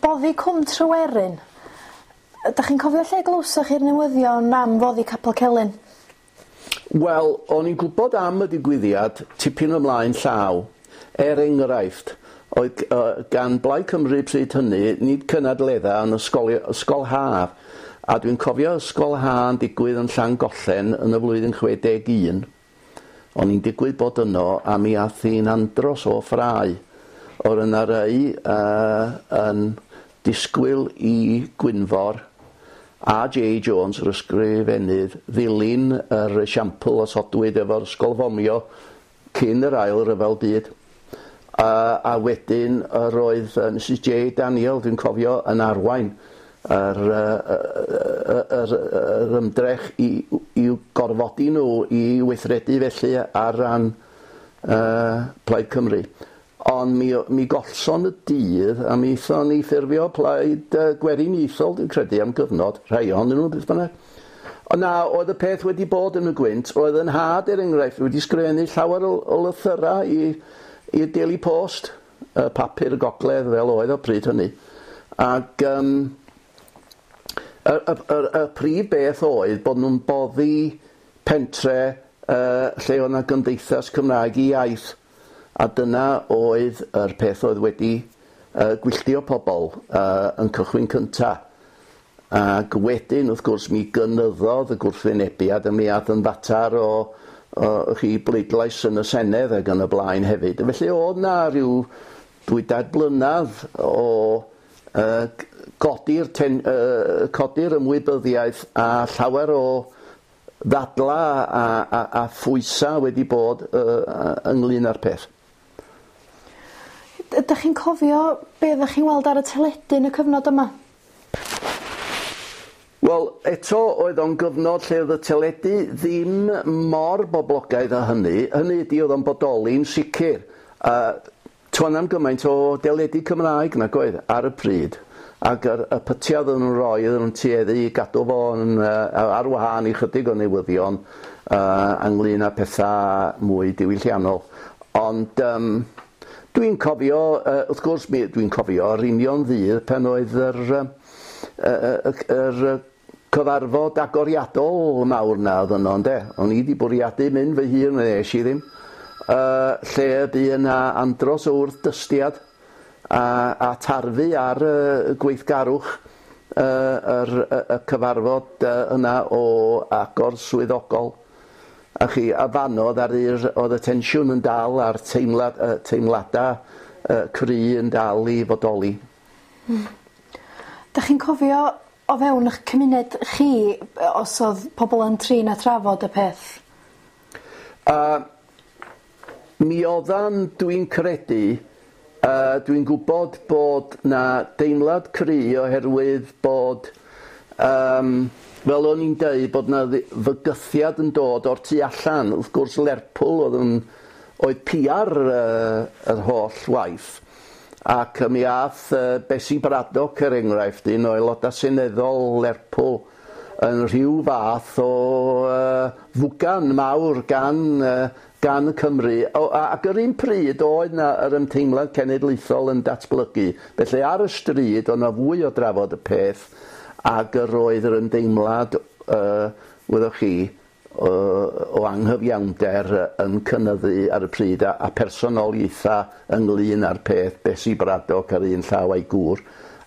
Boddi Cwm Tryweryn. Ydych chi'n cofio lle glywsoch chi'r newyddion am foddi Capel Celyn? Wel, o'n i'n gwybod am y digwyddiad tipyn ymlaen llaw. Er enghraifft, oedd gan Blaid Cymru pryd hynny, nid cynadledda, ond ysgol, ysgol haf. A dwi'n cofio ysgol ha yn digwydd yn Llangollen yn y flwyddyn 61. O'n i'n digwydd bod yno a mi ath hi'n andros o ffrae. Oedd yna rei yn disgwyl i Gwynfor a J Jones, yr ysgrifennydd, ddilyn yr esiampl osodwyd efo'r ysgol fomio cyn yr Ail Ryfel Byd. A wedyn yr oedd Mrs J Daniel, dwi'n cofio, yn arwain yr, yr, yr ymdrech i, i'w gorfodi nhw i weithredu felly ar ran Plaid Cymru. Ond mi, mi gollson y dydd a mi aethon ni ffurfio Plaid Gweriniaethol, dwi'n credu, am gyfnod, rhai ohonyn nhw, beth bynnag. Ond na, oedd y peth wedi bod yn y gwynt. Roedd yn nhad, er enghraifft, wedi sgrifennu llawer o, o lythyrau i, i'r Daily Post, y papur y gogledd fel oedd o pryd hynny. Ac y, y, y, y prif beth oedd bod nhw'n boddi pentre lle oedd yna gymdeithas Cymraeg i iaith. A dyna oedd yr peth oedd wedi gwylltio pobl yn cychwyn cynta. Ac wedyn, wrth gwrs, mi gynyddodd y gwrthwynebiad a mi ath yn fatar o, o chi bleidlais yn y Senedd ac yn y blaen hefyd. Felly oedd na rhyw 2-3 blynedd o godi'r, ten, codi'r ymwybyddiaeth a llawer o ddadla a, a, a phwysa wedi bod ynglyn â'r peth. Ydych chi'n cofio be oeddech chi'n weld ar y teledu yn y cyfnod yma? Wel, eto oedd o'n gyfnod lle oedd y teledu ddim mor boblogaidd â hynny. Hynny ydi oedd o'n bodoli'n sicr. Toedd na'm gymaint o deledu Cymraeg nag oedd ar y pryd. Ac yr, y pytiau oedden nhw'n rhoi, oedden nhw'n tueddu i gadw fo yn, ar wahân i chydig o newyddion ynglyn â pethau mwy diwylliannol. Ond dwi'n cofio, wrth gwrs, mi, dwi'n cofio yr union ddydd pan oedd yr, yr, yr cyfarfod agoriadol mawr na oedd yno, ynde? O'n i wedi bwriadu mynd fy hun, nes i ddim. Lle y bu yna andros o wrthdystiad a, a tarfu ar y gweithgarwch yr, y, y cyfarfod yna o agor swyddogol. A chi, a fanno ar i'r, oedd y tensiwn yn dal a'r teimlad, teimladau cry yn dal i fodoli. Dych chi'n cofio o fewn eich cymuned chi os oedd pobl yn trin a trafod y peth? Mi oeddan, dwi'n credu, dwi'n gwybod bod na deimlad cry oherwydd bod, fel o'n i'n deud, bod na fygythiad yn dod o'r tu allan. Wrth gwrs, Lerpwl oedd yn, oedd pia'r yr holl waith. Ac mi ath Bessie Braddock, er enghraifft, un o aelodau seneddol Lerpwl, yn rhyw fath o fwgan mawr gan, gan y Cymru. O, ac yr un pryd oedd na yr ymteimlad cenedlaethol yn datblygu. Felly ar y stryd oedd na fwy o drafod y peth ac yr oedd yr ymdeimlad, wyddoch chi, o, o anghyfiawnder yn cynyddu ar y pryd a, a personoliaethau ynglyn â'r peth, Bessie Braddock ar un llaw a'i gŵr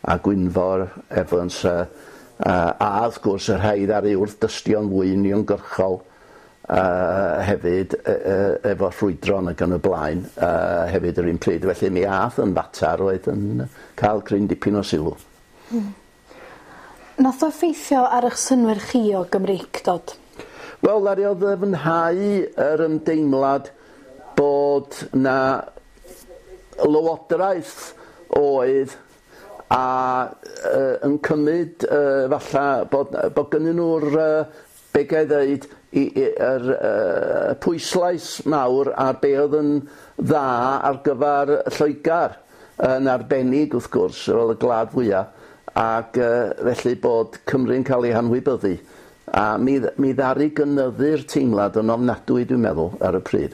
a Gwynfor Evans a, a, a wrth gwrs y rhai ddaru wrth dystio'n fwy uniongyrchol hefyd efo ffrwydron ac yn y blaen hefyd yr un pryd. Felly mi ath yn fatar oedd yn cael cryn dipyn o sylw. Nath o effeithio ar eich synnwyr chi o Gymreictod? Wel, ddaru o ddyfnhau yr ymdeimlad bod na lywodraeth oedd a yn cymryd falla bod, bod gynnyn nhw'r, be ga i ddeud, i, i, yr pwyslais mawr ar be oedd yn dda ar gyfer Lloegr, yn arbennig wrth gwrs, fel y gwlad fwyaf, ac felly bod Cymru'n cael ei hanwybyddu. A mi, mi ddaru gynyddu'r teimlad yn ofnadwy, dwi'n meddwl, ar y pryd.